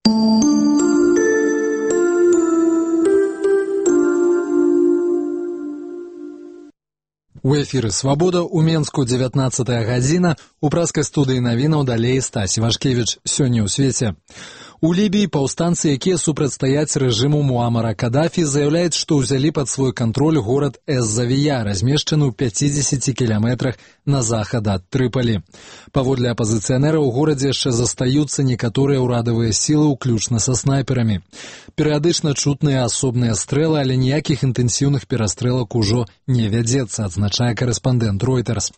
У эфіры «Свабода» у Менску 19 гадзіна. У праскай студыі навінаў далей Стась Івашкевіч. Сёння ў свеце. У Лібіі паўстанцы, якія супрацьстаяць рэжыму Муамара Кадафі, заяўляюць, што ўзялі пад свой кантроль горад Эз-Завія, размешчаны ў 50 кіламетрах на захад ад Трыпалі. Паводле апазіцыянераў у горадзе яшчэ застаюцца некаторыя ўрадавыя сілы, уключна са снайперамі. Перыядычна чутныя асобныя стрэлы, але ніякіх інтэнсіўных перастрэлак ужо не вядзецца, адзначае карэспандэнт Reuters.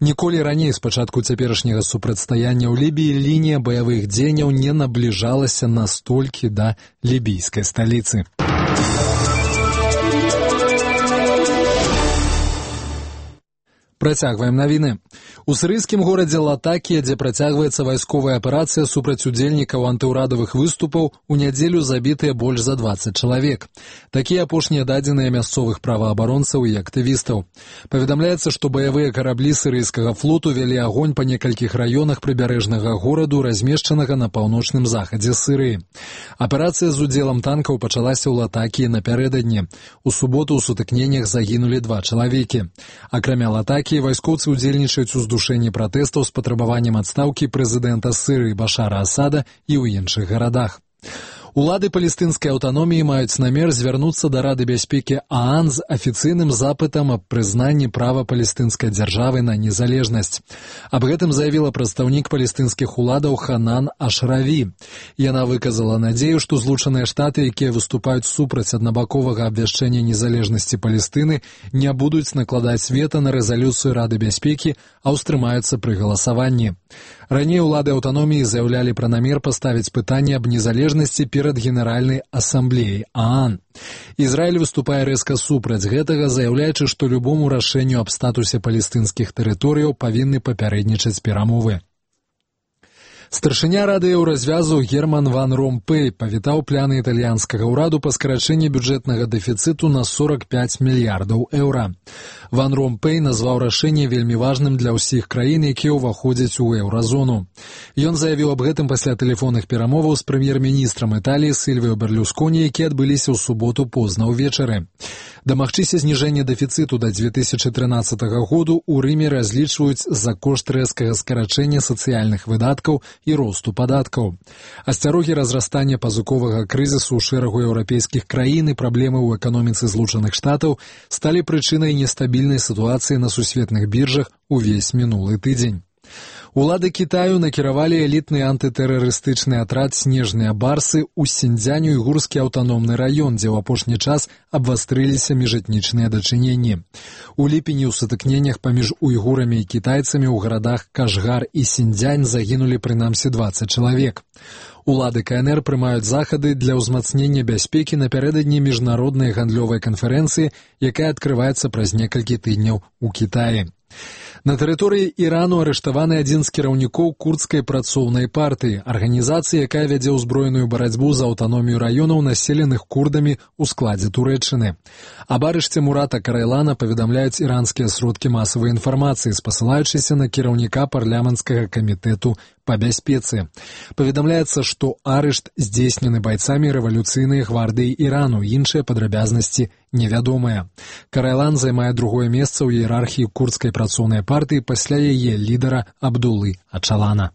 Ніколі раней з пачатку цяперашняга супрацьстаяння ў Лібіі лінія баявых дзеянняў не набліжалася настолькі да лібійскай сталіцы. Працягваем навіны. У сірыйскім горадзе Латакія, дзе працягваецца вайсковая аперацыя супраць удзельнікаў антыўрадавых выступаў, у нядзелю забітыя больш за 20 чалавек. Такія апошнія дадзеныя мясцовых праваабаронцаў і актывістаў. Паведамляецца, што баявыя караблі сірыйскага флоту вялі агонь па некалькіх раёнах прыбярэжнага гораду, размешчанага на паўночным захадзе Сірыі. Аперацыя з удзелам танкаў пачалася ў Латакіі напярэдадні. У суботу ў сутыкненнях загінулі 2 чалавекі. Акрамя Латакіі, вайскоўцы ўдзельнічаюць у здушэнні пратэстаў з патрабаваннем адстаўкі прэзідэнта Сірыі Башара Асада і ў іншых гарадах. Улады палестынскай аўтаноміі маюць намер звярнуцца да Рады бяспекі ААН з афіцыйным запытам аб прызнанні права палестынскай дзяржавы на незалежнасць. Аб гэтым заявіла прадстаўнік палестынскіх уладаў Ханан Ашраві. Яна выказала надзею, што Злучаныя Штаты, якія выступаюць супраць аднабаковага абвяшчэння незалежнасці Палестыны, не будуць накладаць вета на рэзалюцыю Рады бяспекі, а ўстрымаюцца пры галасаванні. Раней улады аўтаноміі заяўлялі пра намер паставіць пытанне аб незалежнасці перад Генеральнай асамблеяй ААН. Ізраіль выступае рэзка супраць гэтага, заяўляючы, што любому рашэнню аб статусе палестынскіх тэрыторыяў павінны папярэднічаць перамовы. Старшыня Рады Еўразвязу Герман Ван Ромпэй павітаў планы італьянскага ўраду па скарачэнні бюджэтнага дэфіцыту на 45 мільярдаў еўра. Ван Ромпэй назваў рашэнне вельмі важным для ўсіх краін, якія ўваходзяць у еўразону. Ён заявіў аб гэтым пасля тэлефонных перамоваў з прэм'ер-міністрам Італіі Сільвіо Берлусконі, якія адбыліся ў суботу позна ўвечары. Дамагчыся зніжэння дэфіцыту да 2013 году ў Рыме разлічваюць за кошт рэзкага скарачэння сацыяльных выдаткаў і росту падаткаў. Асцярогі разрастання пазыковага крызісу ў шэрагу еўрапейскіх краін і праблемы ў эканоміцы Злучаных Штатаў сталі прычынай нестабільнай сітуацыі на сусветных біржах увесь мінулы тыдзень. Улады Кітаю накіравалі элітны антытэрарыстычны атрад «Снежныя барсы» ў Сіньцзянь-Уйгурскі аўтаномны раён, дзе ў апошні час абвастрыліся міжэтнічныя дачыненні. У ліпені ў сутыкненнях паміж уйгурамі і кітайцамі ў гарадах Кашгар і Сіньцзянь загінулі прынамсі 20 чалавек. Улады КНР прымаюць захады для ўзмацнення бяспекі напярэдадні міжнароднай гандлёвай канферэнцыі, якая адкрываецца праз некалькі тыдняў у Кітаі. На тэрыторыі Ірану арыштаваны адзін з кіраўнікоў курдскай працоўнай партыі, арганізацыі, якая вядзе ўзброеную барацьбу за аўтаномію раёнаў, населеных курдамі ў складзе Турэччыны. Аб арышце Мурата Карайлана паведамляюць іранскія сродкі масавай інфармацыі, спасылаючыся на кіраўніка парламенцкага камітэту па бяспецы. Паведамляецца, што арышт здзейснены байцамі рэвалюцыйнай гвардыі Ірану, іншыя падрабязнасці невядомыя. Карайлан займае другое месца ў іерархіі курдскай працоўнай партыі пасля яе лідара Абдуллы Ачалана.